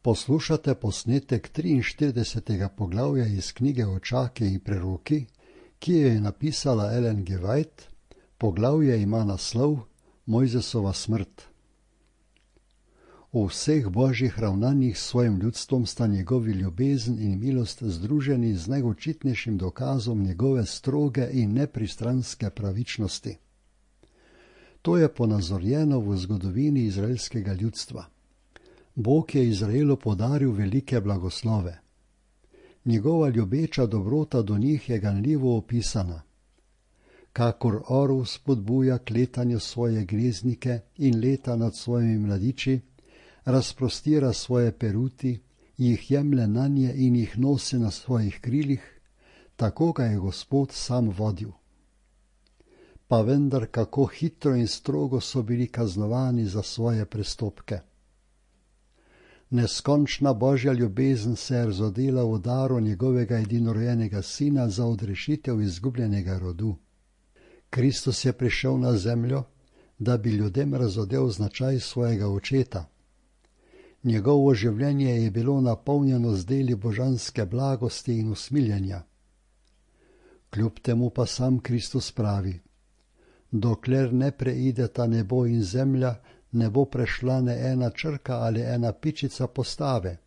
Poslušate posnetek 43. poglavja iz knjige Očake in preroki, ki jo je napisala Ellen G. White. Poglavje ima naslov Mojzesova smrt. V vseh božjih ravnanjih s svojim ljudstvom sta njegovi ljubezen in milost združeni z najočitnejšim dokazom njegove stroge in nepristranske pravičnosti. To je ponazorjeno v zgodovini izraelskega ljudstva. Bog je Izraelu podaril velike blagoslove. Njegova ljubeča dobrota do njih je ganljivo opisana. Kakor orel spodbuja k letanju svoje gnezdnike in leta nad svojimi mladiči, razprostira svoje peruti, jih jemlje nanje in jih nosi na svojih krilih, tako ga je Gospod sam vodil. Pa vendar kako hitro in strogo so bili kaznovani za svoje prestopke. Neskončna božja ljubezen se je razodela v daru njegovega edinorojenega sina za odrešitev izgubljenega rodu. Kristus je prišel na zemljo, da bi ljudem razodel značaj svojega očeta. Njegovo življenje je bilo napolnjeno z deli božanske blagosti in usmiljenja. Kljub temu pa sam Kristus pravi: dokler ne preideta nebo in zemlja, ne bo prešla ne ena črka ali ena pičica postave.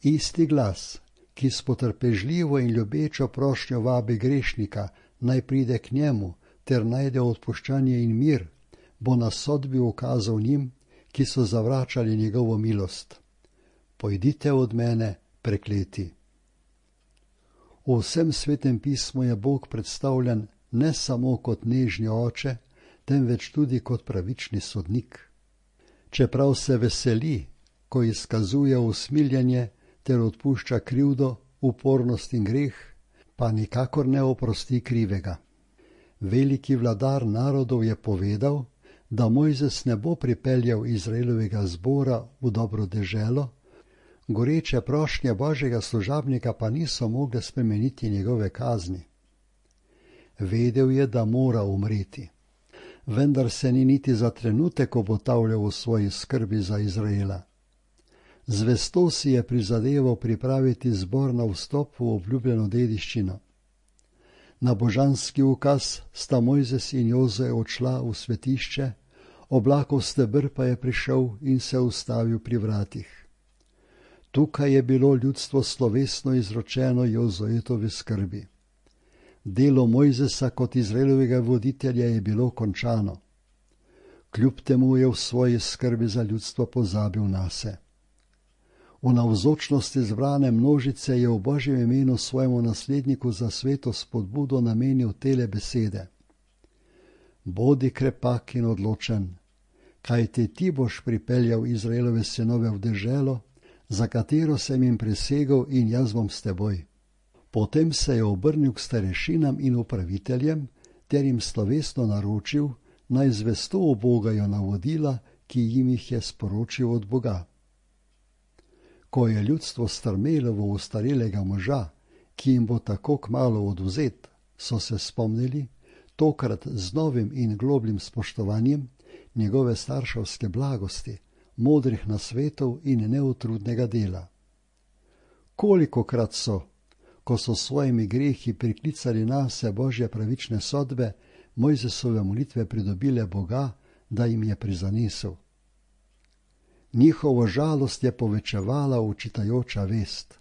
Isti glas, ki s potrpežljivo in ljubečo prošnjo vabi grešnika, naj pride k njemu ter najde odpuščanje in mir, bo na sodbi ukazal njim, ki so zavračali njegovo milost: pojdite od mene, prekleti. V vsem svetem pismu je Bog predstavljen ne samo kot nežni oče, temveč tudi kot pravični sodnik. Čeprav se veseli, ko izkazuje usmiljenje ter odpušča krivdo, upornost in greh, pa nikakor ne oprosti krivega. Veliki vladar narodov je povedal, da Mojzes ne bo pripeljal Izraelovega zbora v dobro deželo, goreče prošnje božjega služabnika pa niso mogle spremeniti njegove kazni. Vedel je, da mora umreti, vendar se ni niti za trenutek obotavljal v svoji skrbi za Izraela. Zvesto si je prizadeval pripraviti zbor na vstop v obljubljeno dediščino. Na božanski ukaz sta Mojzes in Jozue odšla v svetišče, oblakov steber pa je prišel in se ustavil pri vratih. Tukaj je bilo ljudstvo slovesno izročeno Jozuetovi skrbi. Delo Mojzesa kot Izraelovega voditelja je bilo končano. Kljub temu je v svoji skrbi za ljudstvo pozabil nase. V navzočnosti zbrane množice je v Božjem imenu svojemu nasledniku za sveto spodbudo namenil tele besede: bodi krepak in odločen, kajti ti boš pripeljal Izraelove sinove v deželo, za katero sem jim prisegel, in jaz bom s teboj. Potem se je obrnil k starešinam in upraviteljem ter jim slovesno naročil, naj zvesto ubogajo navodila, ki jim jih je sporočil od Boga. Ko je ljudstvo strmelo v ostarelega moža, ki jim bo tako kmalu odvzet, so se spomnili, tokrat z novim in globljim spoštovanjem, njegove starševske blagosti, modrih nasvetov in neutrudnega dela. Kolikokrat so, ko so svojimi grehi priklicali nase Božje pravične sodbe, Mojzesove molitve pridobile Boga, da jim je prizanesel. Njihovo žalost je povečevala učitajoča vest.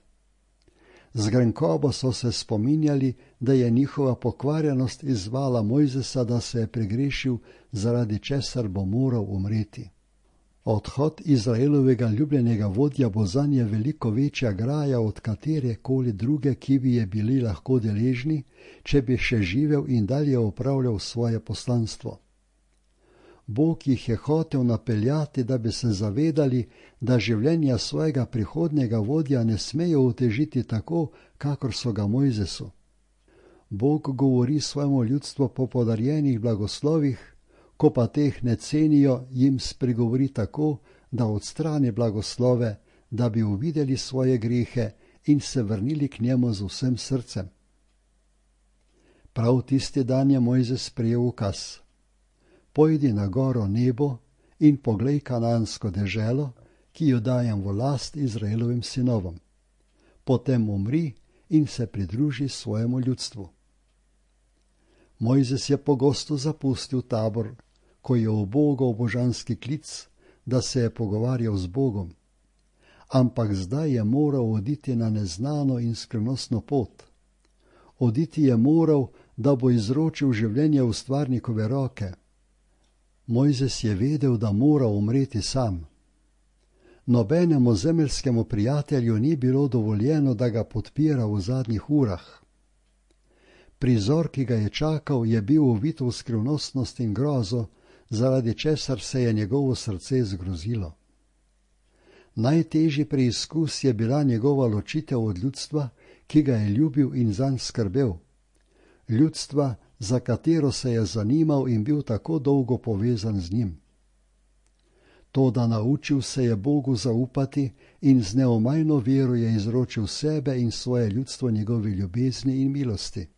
Z grenkobo so se spominjali, da je njihova pokvarjenost izzvala Mojzesa, da se je pregrešil, zaradi česar bo moral umreti. Odhod Izraelovega ljubljenega vodja bo zanje veliko večja graja od katerekoli druge, ki bi je bili lahko deležni, če bi še živel in dalje opravljal svoje poslanstvo. Bog jih je hotel napeljati, da bi se zavedali, da življenja svojega prihodnjega vodja ne smejo otežiti tako, kakor so ga Mojzesu. Bog govori svojemu ljudstvu po podarjenih blagoslovih, ko pa teh ne cenijo, jim spregovori tako, da odstrani blagoslove, da bi uvideli svoje grehe in se vrnili k njemu z vsem srcem. Prav tisti dan je Mojzes prejel ukaz: pojdi na goro Nebo in poglej Kanaansko deželo, ki jo dajem v last Izraelovim sinovom. Potem umri in se pridruži svojemu ljudstvu. Mojzes je pogosto zapustil tabor, ko je ubogal božanski klic, da se je pogovarjal z Bogom. Ampak zdaj je moral oditi na neznano in skrivnostno pot. Oditi je moral, da bo izročil življenje v stvarnikove roke. Mojzes je vedel, da mora umreti sam. Nobenemu zemeljskemu prijatelju ni bilo dovoljeno, da ga podpira v zadnjih urah. Prizor, ki ga je čakal, je bil uvit v skrivnostnost in grozo, zaradi česar se je njegovo srce zgrozilo. Najtežji preizkus je bila njegova ločitev od ljudstva, ki ga je ljubil in zanj skrbel. Ljudstva, za katero se je zanimal in bil tako dolgo povezan z njim. Toda naučil se je Bogu zaupati in z neomajno vero je izročil sebe in svoje ljudstvo njegovi ljubezni in milosti.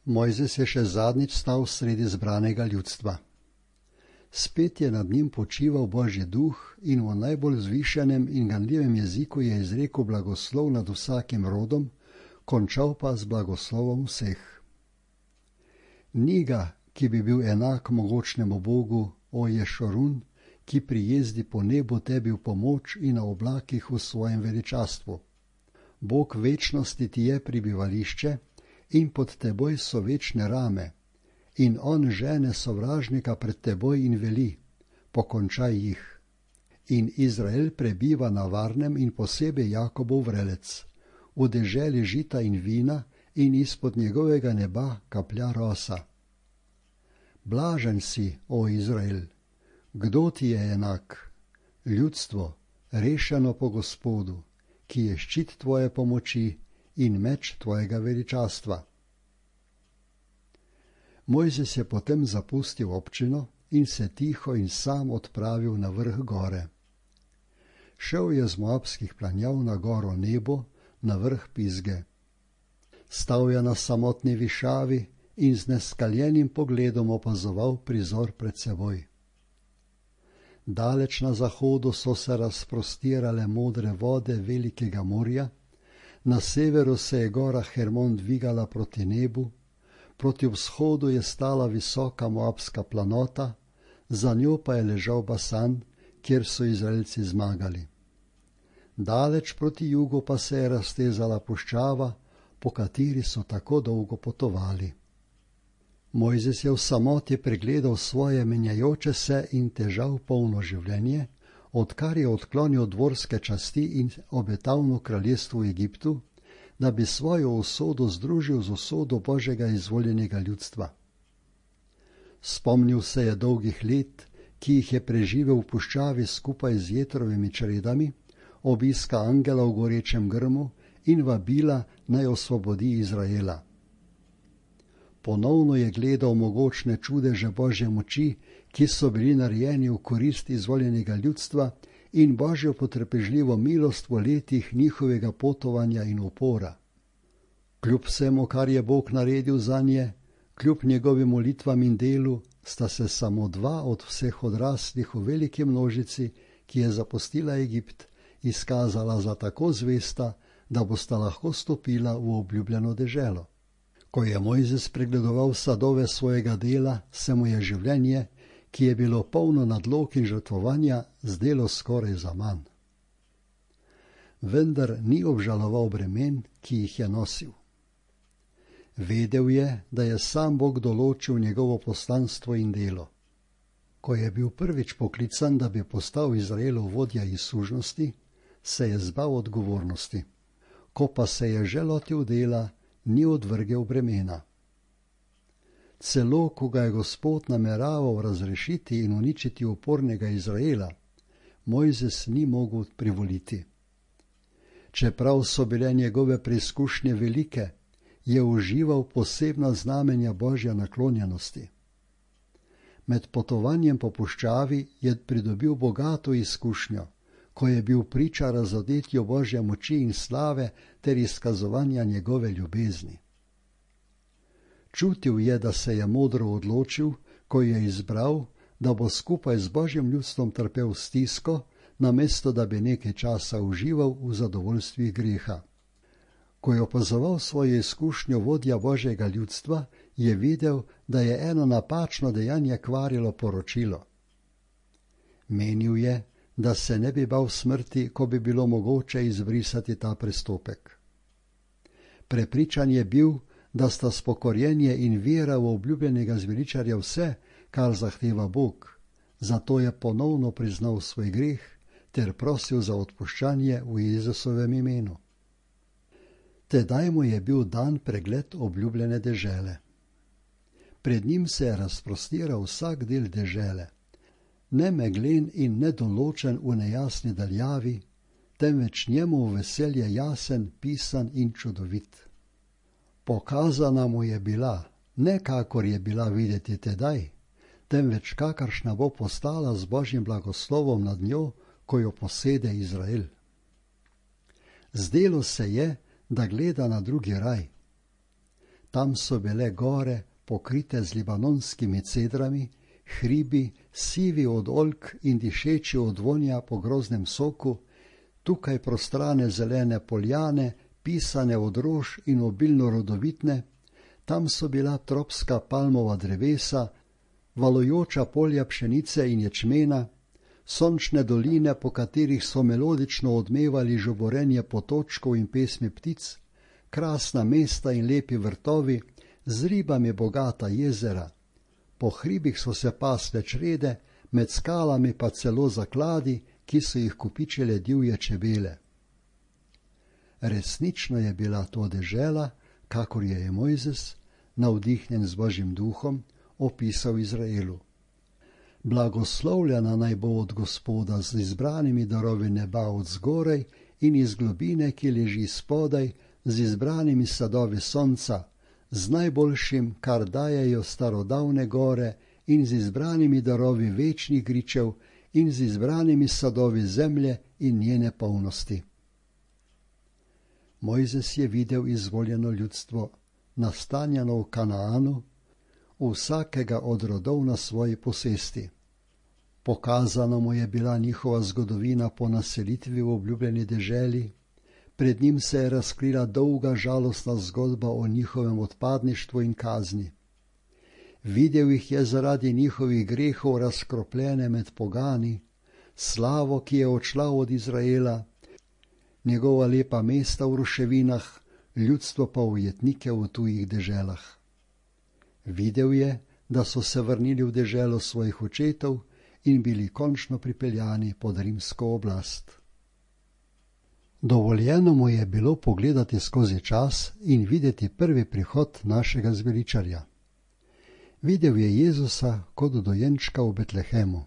Mojzes je še zadnjič stal sredi zbranega ljudstva. Spet je nad njim počival Božji duh in v najbolj vzvišenem in ganljivem jeziku je izrekel blagoslov nad vsakim rodom, končal pa z blagoslovom vseh. Ni ga, ki bi bil enak mogočnemu Bogu, o Ješorun, ki prijezdi po nebu tebi v pomoč in na oblakih v svojem veličastvu. Bog večnosti ti je prebivališče in pod teboj so večne rame, in on žene sovražnika pred teboj in veli, pokončaj jih. In Izrael prebiva na varnem in posebej Jakobov vrelec, v deželi žita in vina in izpod njegovega neba kaplja rosa. Blažen si, o Izrael, kdo ti je enak? Ljudstvo, rešeno po Gospodu, ki je ščit tvoje pomoči in meč tvojega veličastva. Mojzes je potem zapustil občino in se tiho in sam odpravil na vrh gore. Šel je z moabskih planjav na goro Nebo, na vrh Pizge. Stal je na samotni višavi in z neskaljenim pogledom opazoval prizor pred seboj. Daleč na zahodu so se razprostirale modre vode velikega morja, na severu se je gora Hermon dvigala proti nebu, proti vzhodu je stala visoka moabska planota, za njo pa je ležal Basan, kjer so Izraelci zmagali. Daleč proti jugu pa se je raztezala puščava, po kateri so tako dolgo potovali. Mojzes je v samoti pregledal svoje menjajoče se in težav polno življenje, odkar je odklonil dvorske časti in obetavno kraljestvo v Egiptu, da bi svojo usodo združil z usodo Božjega izvoljenega ljudstva. Spomnil se je dolgih let, ki jih je preživel v puščavi skupaj z Jetrovimi čredami, obiska angela v gorečem grmu in vabila naj osvobodi Izraela. Ponovno je gledal mogočne čudeže Božje moči, ki so bili narejeni v korist izvoljenega ljudstva in Božjo potrpežljivo milost v letih njihovega potovanja in upora. Kljub vsemu, kar je Bog naredil zanje, kljub njegovim molitvam in delu, sta se samo dva od vseh odraslih v veliki množici, ki je zapustila Egipt, izkazala za tako zvesta, da bosta lahko stopila v obljubljeno deželo. Ko je Mojzes pregledoval sadove svojega dela, se mu je življenje, ki je bilo polno nadlog in žrtvovanja, zdelo skoraj zaman. Vendar ni obžaloval bremen, ki jih je nosil. Vedel je, da je sam Bog določil njegovo poslanstvo in delo. Ko je bil prvič poklican, da bi postal Izraelov vodja iz sužnosti, se je zbal odgovornosti. Ko pa se je že lotil dela, ni odvrgel bremena. Celo, ko ga je Gospod nameraval razrešiti in uničiti upornega Izraela, Mojzes ni mogel privoliti. Čeprav so bile njegove preizkušnje velike, je užival posebna znamenja Božje naklonjenosti. Med potovanjem po puščavi je pridobil bogato izkušnjo, ko je bil priča razodetju Božje moči in slave ter izkazovanja njegove ljubezni. Čutil je, da se je modro odločil, ko je izbral, da bo skupaj z Božjim ljudstvom trpel stisko, namesto da bi nekaj časa užival v zadovoljstvih greha. Ko je opazoval svojo izkušnjo vodja Božjega ljudstva, je videl, da je eno napačno dejanje kvarilo poročilo. Menil je, da se ne bi bal smrti, ko bi bilo mogoče izbrisati ta prestopek. Prepričan je bil, da sta spokorjenje in vera v obljubljenega zveličarja vse, kar zahteva Bog, zato je ponovno priznal svoj greh ter prosil za odpuščanje v Jezusovem imenu. Tedaj mu je bil dan pregled obljubljene dežele. Pred njim se je razprostiral vsak del dežele, ne meglen in nedoločen v nejasni daljavi, temveč njemu v veselje jasen, pisan in čudovit. Pokazana mu je bila, ne kakor je bila videti tedaj, temveč kakršna bo postala z Božjim blagoslovom nad njo, ko jo posede Izrael. Zdelo se je, da gleda na drugi raj. Tam so bile gore, pokrite z libanonskimi cedrami, hribi, sivi od oljk in dišeči od vonja po groznem soku, tukaj prostrane zelene poljane, pisane od rož in obilno rodovitne, tam so bila tropska palmova drevesa, valujoča polja pšenice in ječmena, sončne doline, po katerih so melodično odmevali žuborenje potočkov in pesmi ptic, krasna mesta in lepi vrtovi, z ribami bogata jezera. Po hribih so se pasle črede, med skalami pa celo zakladi, ki so jih kopičile divje čebele. Resnično je bila to dežela, kakor je Mojzes, navdihnjen z Božjim duhom, opisal Izraelu. Blagoslovljena naj bo od Gospoda z izbranimi darovi neba od zgoraj in iz globine, ki leži spodaj, z izbranimi sadovi sonca, z najboljšim, kar dajejo starodavne gore, in z izbranimi darovi večnih gričev in z izbranimi sadovi zemlje in njene polnosti. Mojzes je videl izvoljeno ljudstvo, nastanjeno v Kanaanu, vsakega od rodov na svoji posesti. Pokazana mu je bila njihova zgodovina po naselitvi v obljubljeni deželi, pred njim se je razkrila dolga žalostna zgodba o njihovem odpadništvu in kazni. Videl jih je zaradi njihovih grehov razkropljene med pogani, slavo, ki je odšla od Izraela, njegova lepa mesta v ruševinah, ljudstvo pa ujetnike v tujih deželah. Videl je, da so se vrnili v deželo svojih očetov in bili končno pripeljani pod rimsko oblast. Dovoljeno mu je bilo pogledati skozi čas in videti prvi prihod našega zveličarja. Videl je Jezusa kot dojenčka v Betlehemu.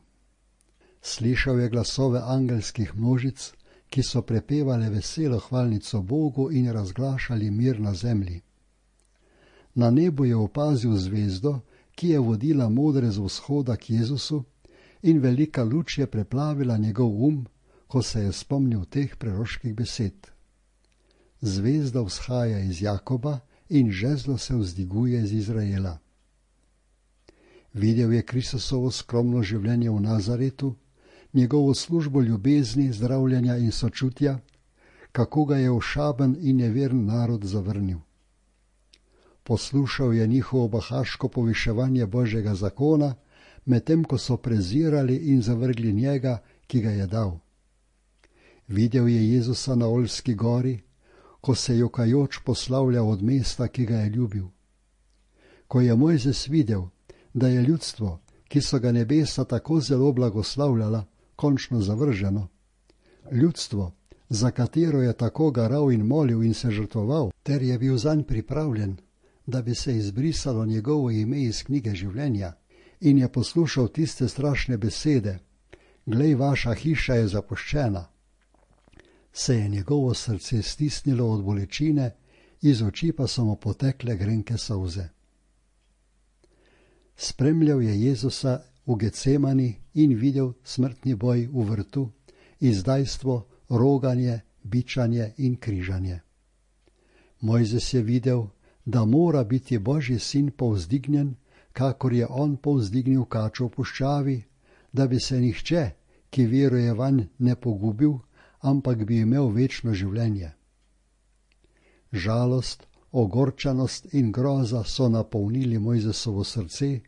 Slišal je glasove angelskih množic, ki so prepevale veselo hvalnico Bogu in razglašali mir na zemlji. Na nebu je opazil zvezdo, ki je vodila modre z vzhoda k Jezusu, in velika luč je preplavila njegov ko se je spomnil teh preroških besed. Zvezda vzhaja iz Jakoba in žezlo se vzdiguje iz Izraela. Videl je Kristusovo skromno življenje v Nazaretu, njegovo službo ljubezni, zdravljenja in sočutja, kako ga je ošaben in neveren narod zavrnil. Poslušal je njihovo bahaško poviševanje Božjega zakona, medtem ko so prezirali in zavrgli njega, ki ga je dal. Videl je Jezusa na Oljski gori, ko se jokajoč poslavlja od mesta, ki ga je ljubil. Ko je Mojzes videl, da je ljudstvo, ki so ga nebesa tako zelo blagoslavljala, končno zavrženo, ljudstvo, za katero je tako garal in molil in se žrtvoval, ter je bil zanj pripravljen, da bi se izbrisalo njegovo ime iz knjige življenja, in je poslušal tiste strašne besede: glej, vaša hiša je zapuščena, se je njegovo srce stisnilo od bolečine, iz oči pa so mu potekle grenke solze. Spremljal je Jezusa v Getsemani in videl smrtni boj v vrtu, izdajstvo, roganje, bičanje in križanje. Mojzes je videl, da mora biti Božji sin povzdignjen, kakor je on povzdignil kačo v puščavi, da bi se nihče, ki veruje vanj, ne pogubil, ampak bi imel večno življenje. Žalost, ogorčenost in groza so napolnili Mojzesovo srce,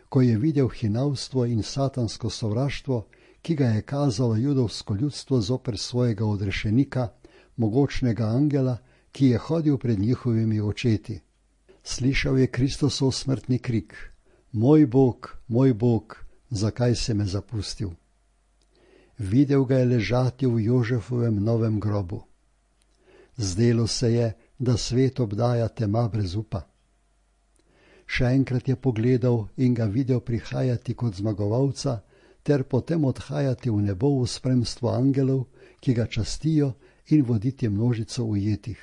ko je videl hinavstvo in satansko sovraštvo, ki ga je kazalo judovsko ljudstvo zoper svojega odrešenika, mogočnega angela, ki je hodil pred njihovimi očeti. Slišal je Kristusov smrtni krik: moj Bog, zakaj si me zapustil? Videl ga je ležati v Jožefovem novem grobu. Zdelo se je, da svet obdaja tema brez upa. Še enkrat je pogledal in ga videl prihajati kot zmagovalca, ter potem odhajati v nebo v spremstvu angelov, ki ga častijo, in voditi množico ujetih.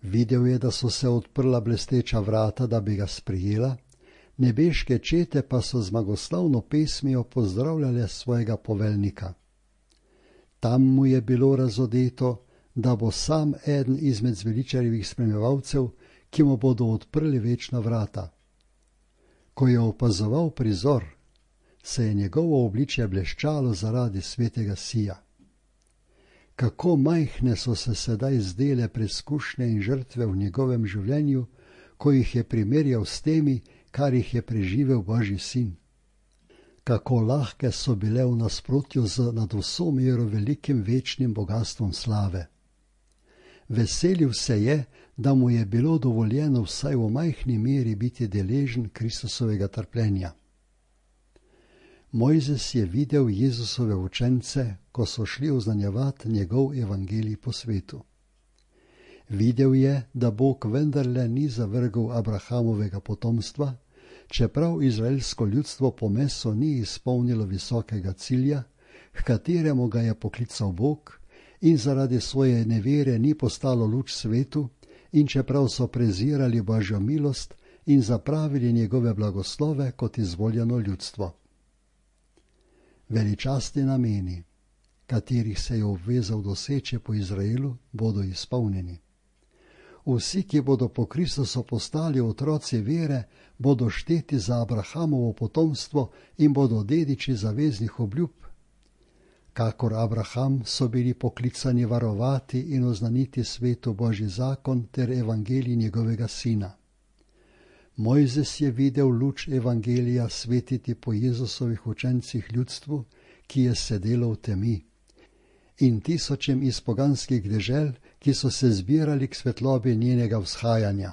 Videl je, da so se odprla blesteča vrata, da bi ga sprijela, nebeške čete pa so zmagoslavno pesmijo pozdravljale svojega poveljnika. Tam mu je bilo razodeto, da bo sam eden izmed zveličarjevih spremljevalcev, ki mu bodo odprli večna vrata. Ko je opazoval prizor, se je njegovo obličje bleščalo zaradi svetega sija. Kako majhne so se sedaj zdele preskušnje in žrtve v njegovem življenju, ko jih je primerjal s temi, kar jih je preživel Božji sin. Kako lahke so bile v nasprotju z nad vso mero velikim večnim bogastvom slave. Veselil se je, da mu je bilo dovoljeno vsaj v majhni meri biti deležen Kristusovega trpljenja. Mojzes je videl Jezusove učence, ko so šli oznanjevati njegov evangelij po svetu. Videl je, da Bog vendarle ni zavrgel Abrahamovega potomstva, čeprav izraelsko ljudstvo po meso ni izpolnilo visokega cilja, h kateremu ga je poklical Bog, in zaradi svoje nevere ni postalo luč svetu, in čeprav so prezirali Božjo milost in zapravili njegove blagoslove kot izvoljeno ljudstvo. Veličastni nameni, katerih se je obvezal doseči po Izraelu, bodo izpolnjeni. Vsi, ki bodo po Kristusu postali otroci vere, bodo šteti za Abrahamovo potomstvo in bodo dediči zaveznih obljub. Kakor Abraham so bili poklicani varovati in oznaniti svetu Božji zakon ter evangelij njegovega sina. Mojzes je videl luč evangelija svetiti po Jezusovih učencih ljudstvu, ki je sedelo v temi, in tisočem iz poganskih dežel, ki so se zbirali k svetlobi njenega vzhajanja.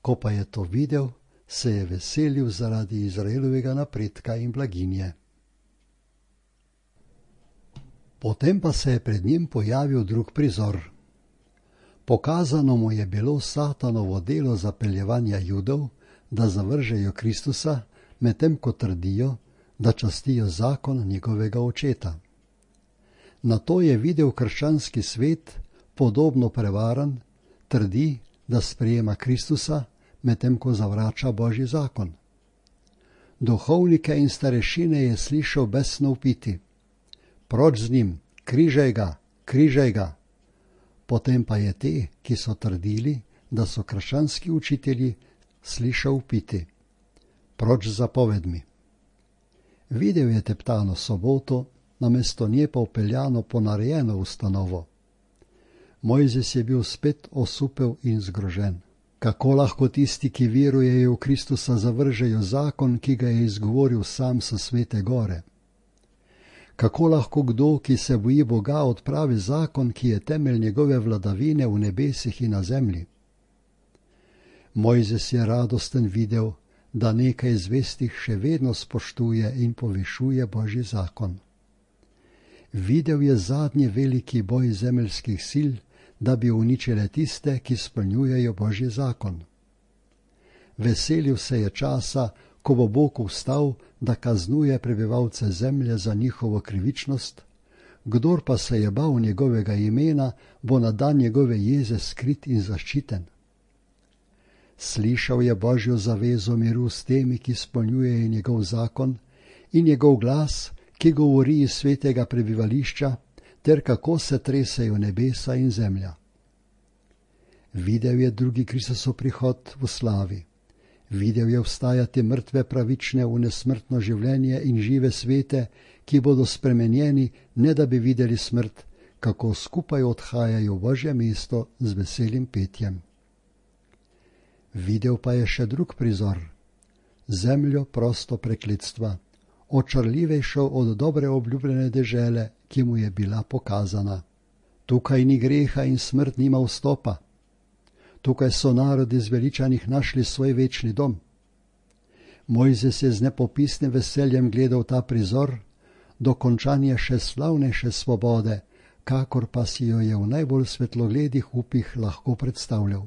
Ko pa je to videl, se je veselil zaradi Izraelovega napredka in blaginje. Potem pa se je pred njim pojavil drug prizor. Pokazano mu je bilo Satanovo delo zapeljevanja Judov, da zavržejo Kristusa, medtem ko trdijo, da častijo zakon njegovega očeta. Nato je videl krščanski svet, podobno prevaran, trdi, da sprejema Kristusa, medtem ko zavrača Božji zakon. Duhovnike in starešine je slišal besno vpiti: proč z njim, križaj ga, križaj ga. Potem pa je te, ki so trdili, da so krščanski učitelji, slišal vpiti: proč z zapovedmi. Videl je teptano soboto, namesto nje pa vpeljano ponarejeno ustanovo. Mojzes je bil spet osupel in zgrožen. Kako lahko tisti, ki verujejo v Kristusa, zavržejo zakon, ki ga je izgovoril sam s svete gore? Kako lahko kdo, ki se boji Boga, odpravi zakon, ki je temelj njegove vladavine v nebesih in na zemlji? Mojzes je radosten videl, da nekaj zvestih še vedno spoštuje in povišuje Božji zakon. Videl je zadnji veliki boj zemeljskih sil, da bi uničile tiste, ki spolnjujejo Božji zakon. Veselil se je časa, ko bo Bog vstal, da kaznuje prebivalce zemlje za njihovo krivičnost, kdor pa se je bal njegovega imena, bo na dan njegove jeze skrit in zaščiten. Slišal je Božjo zavezo miru s temi, ki spolnjujejo njegov zakon, in njegov glas, ki govori iz svetega prebivališča, ter kako se tresejo nebesa in zemlja. Videl je drugi Kristusov prihod v slavi. Videl je vstajati mrtve pravične v nesmrtno življenje in žive svete, ki bodo spremenjeni, ne da bi videli smrt, kako skupaj odhajajo v Božje mesto z veselim petjem. Videl pa je še drug prizor, zemljo prosto prekletstva, očarljivejšo od dobre obljubljene dežele, ki mu je bila pokazana. Tukaj ni greha in smrt nima vstopa. Tukaj so narodi zveličanih našli svoj večni dom. Mojzes je z nepopisnim veseljem gledal ta prizor, dokončanje še slavnejše svobode, kakor pa si jo je v najbolj svetlogledih upih lahko predstavljal.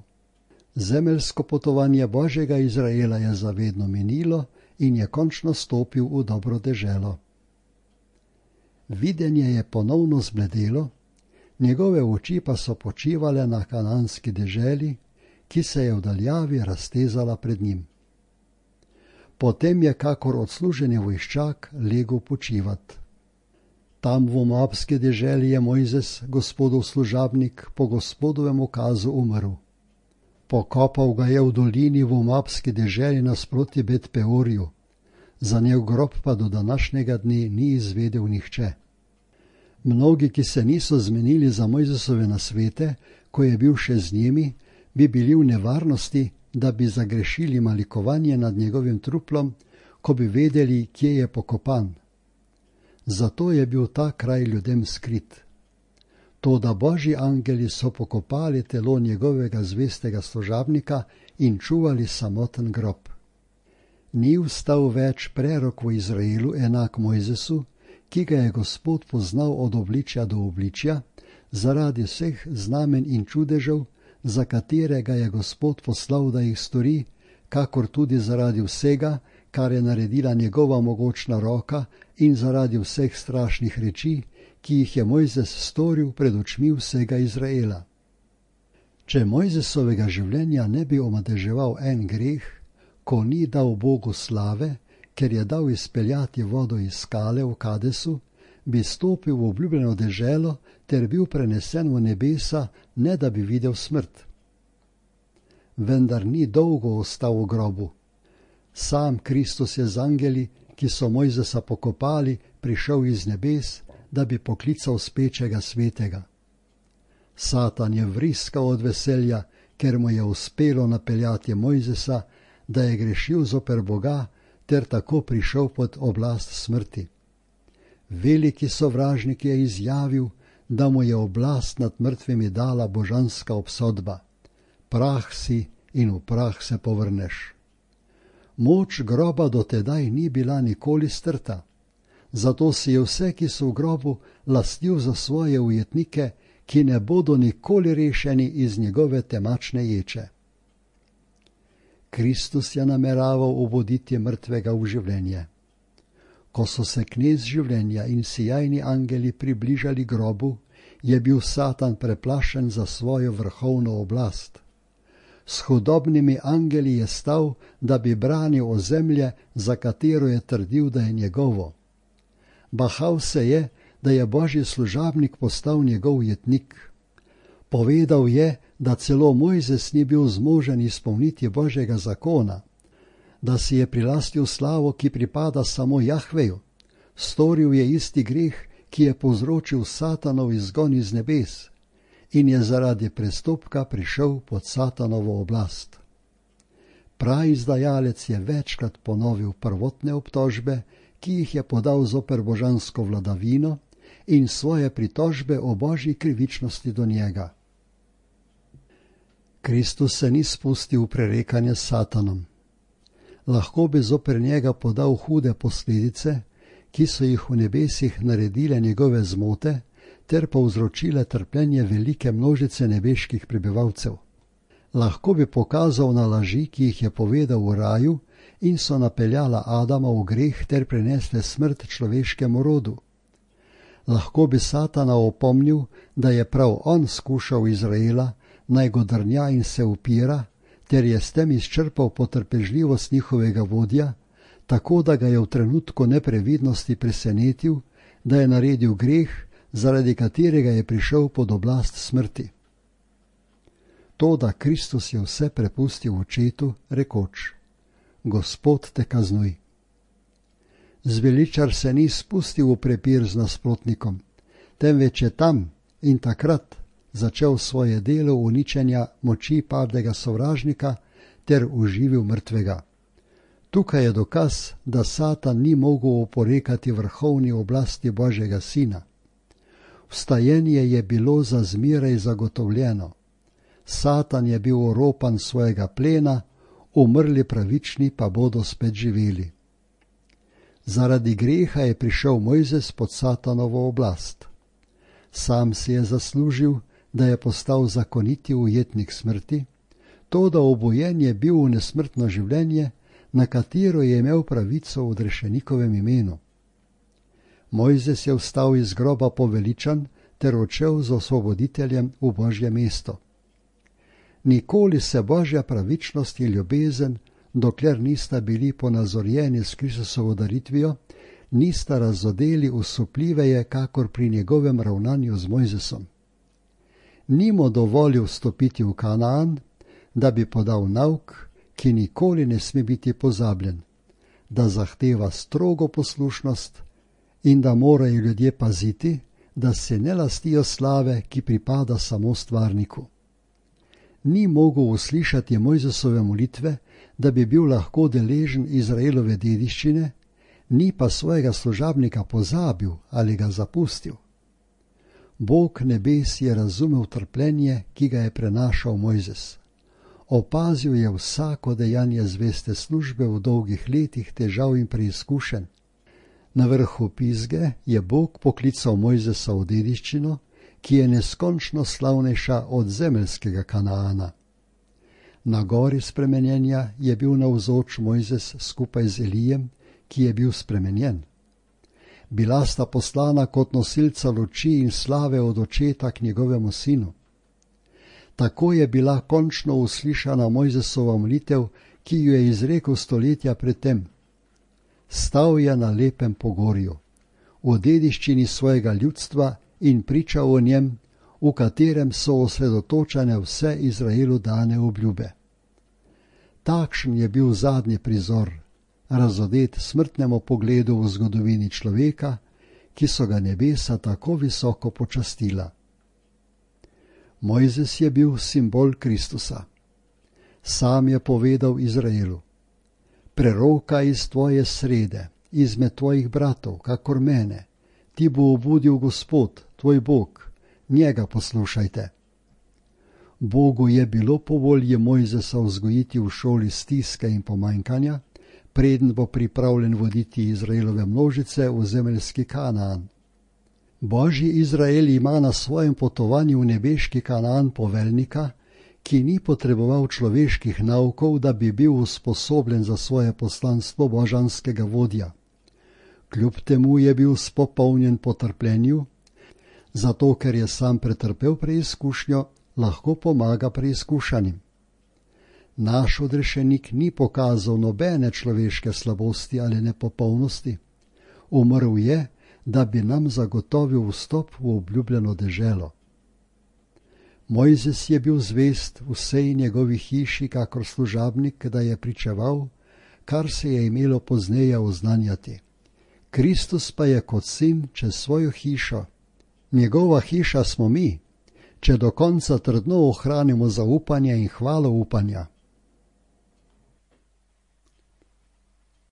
Zemeljsko potovanje Božjega Izraela je zavedno minilo in je končno stopil v dobro deželo. Videnje je ponovno zbledelo, njegove oči pa so počivale na kananski deželi, ki se je v daljavi raztezala pred njim. Potem je kakor odsluženi vojščak legel počivat. Tam v Moabski deželi je Mojzes, Gospodov služabnik, po Gospodovem ukazu umrl. Pokopal ga je v dolini v Moabski deželi nasproti Bet Peorju, za njegov grob pa do današnjega dne ni izvedel nihče. Mnogi, ki se niso zmenili za Mojzesove nasvete, ko je bil še z njimi, bi bili v nevarnosti, da bi zagrešili malikovanje nad njegovim truplom, ko bi vedeli, kje je pokopan. Zato je bil ta kraj ljudem skrit. Toda Božji angeli so pokopali telo njegovega zvestega služabnika in čuvali samoten grob. Ni vstal več prerok v Izraelu enak Mojzesu, ki ga je Gospod poznal od obličja do obličja, zaradi vseh znamen in čudežev, za katere ga je Gospod poslal, da jih stori, kakor tudi zaradi vsega, kar je naredila njegova mogočna roka in zaradi vseh strašnih reči, ki jih je Mojzes storil pred očmi vsega Izraela. Če Mojzesovega življenja ne bi omadeževal en greh, ko ni dal Bogu slave, ker je dal izpeljati vodo iz skale v Kadesu, bi stopil v obljubljeno deželo ter bil prenesen v nebesa, ne da bi videl smrt. Vendar ni dolgo ostal v grobu. Sam Kristus je z angeli, ki so Mojzesa pokopali, prišel iz nebes, da bi poklical spečega svetega. Satan je vriskal od veselja, ker mu je uspelo napeljati Mojzesa, da je grešil zoper Boga, ter tako prišel pod oblast smrti. Veliki sovražnik je izjavil, da mu je oblast nad mrtvimi dala božanska obsodba. Prah si in v prah se povrneš. Moč groba do tedaj ni bila nikoli strta, zato si je vse, ki so v grobu, lastil za svoje ujetnike, ki ne bodo nikoli rešeni iz njegove temačne ječe. Kristus je nameraval obuditi mrtvega v življenje. Ko so se knez življenja in sijajni angeli približali grobu, je bil Satan preplašen za svojo vrhovno oblast. S hudobnimi angeli je stal, da bi branil ozemlje, za katero je trdil, da je njegovo. Bahal se je, da je Božji služabnik postal njegov jetnik. Povedal je, da celo Mojzes ni bil zmožen izpolniti Božjega zakona, da si je prilastil slavo, ki pripada samo Jahveju. Storil je isti greh, ki je povzročil Satanov izgon iz nebes in je zaradi prestopka prišel pod Satanovo oblast. Praizdajalec je večkrat ponovil prvotne obtožbe, ki jih je podal zoper božansko vladavino in svoje pritožbe o Božji krivičnosti do njega. Kristus se ni spustil v prerekanje s Satanom. Lahko bi zoper njega podal hude posledice, ki so jih v nebesih naredile njegove zmote, ter povzročile trpljenje velike množice nebeških prebivalcev. Lahko bi pokazal na laži, ki jih je povedal v raju in so napeljala Adama v greh ter prinesle smrt človeškemu rodu. Lahko bi Satana opomnil, da je prav on skušal Izraela, naj go drnja in se upira, ter je s tem izčrpal potrpežljivost njihovega vodja, tako da ga je v trenutku neprevidnosti presenetil, da je naredil greh, zaradi katerega je prišel pod oblast smrti. To, da Kristus je vse prepustil očetu, rekoč: Gospod te kaznuj. Zveličar se ni spustil v prepir z nasprotnikom, temveč je tam in takrat začel svoje delo uničenja moči padlega sovražnika ter uživil mrtvega. Tukaj je dokaz, da Satan ni mogel oporekati vrhovni oblasti Božjega Sina. Vstajenje je bilo za zmeraj zagotovljeno. Satan je bil oropan svojega plena, umrli pravični pa bodo spet živeli. Zaradi greha je prišel Mojzes pod Satanovo oblast. Sam si je zaslužil, da je postal zakoniti ujetnik smrti, toda obojen je bil v nesmrtno življenje, na katero je imel pravico v odrešenikovem imenu. Mojzes je vstal iz groba poveličan ter odšel z osvoboditeljem v Božje mesto. Nikoli se Božja pravičnost in ljubezen, dokler nista bili ponazorjeni s Kristusovo daritvijo, nista razodeli usupljiveje, kakor pri njegovem ravnanju z Mojzesom. Ni mu dovolil vstopiti v Kanaan, da bi podal nauk, ki nikoli ne sme biti pozabljen, da zahteva strogo poslušnost in da morajo ljudje paziti, da se ne lastijo slave, ki pripada samo stvarniku. Ni mogel uslišati Mojzesove molitve, da bi bil lahko deležen Izraelove dediščine, ni pa svojega služabnika pozabil ali ga zapustil. Bog nebes je razumel trpljenje, ki ga je prenašal Mojzes. Opazil je vsako dejanje zveste službe v dolgih letih težav in preizkušenj. Na vrhu Pizge je Bog poklical Mojzesa v dediščino, ki je neskončno slavnejša od zemeljskega Kanaana. Na gori spremenjenja je bil navzoč Mojzes skupaj z Elijem, ki je bil spremenjen. Bila sta poslana kot nosilca luči in slave od očeta k njegovemu sinu. Tako je bila končno uslišana Mojzesova molitev, ki jo je izrekel stoletja predtem. Stal je na lepem pogorju, v dediščini svojega ljudstva in pričal o njem, v katerem so osredotočene vse Izraelu dane obljube. Takšen je bil zadnji prizor, razodet smrtnemu pogledu v zgodovini človeka, ki so ga nebesa tako visoko počastila. Mojzes je bil simbol Kristusa. Sam je povedal Izraelu: preroka iz tvoje srede, izmed tvojih bratov, kakor mene, ti bo obudil Gospod, tvoj Bog, njega poslušajte. Bogu je bilo po volji Mojzesa vzgojiti v šoli stiske in pomanjkanja, preden bo pripravljen voditi Izraelove množice v zemeljski Kanaan. Božji Izrael ima na svojem potovanju v nebeški Kanaan poveljnika, ki ni potreboval človeških naukov, da bi bil usposobljen za svoje poslanstvo božanskega vodja. Kljub temu je bil spopolnjen po trpljenju, zato ker je sam pretrpel preizkušnjo, lahko pomaga preizkušanim. Naš odrešenik ni pokazal nobene človeške slabosti ali nepopolnosti. Umrl je, da bi nam zagotovil vstop v obljubljeno deželo. Mojzes je bil zvest vsej njegovi hiši, kakor služabnik, da je pričeval, kar se je imelo pozneje oznanjati. Kristus pa je kot sin čez svojo hišo. Njegova hiša smo mi, če do konca trdno ohranimo zaupanje in hvalo upanja.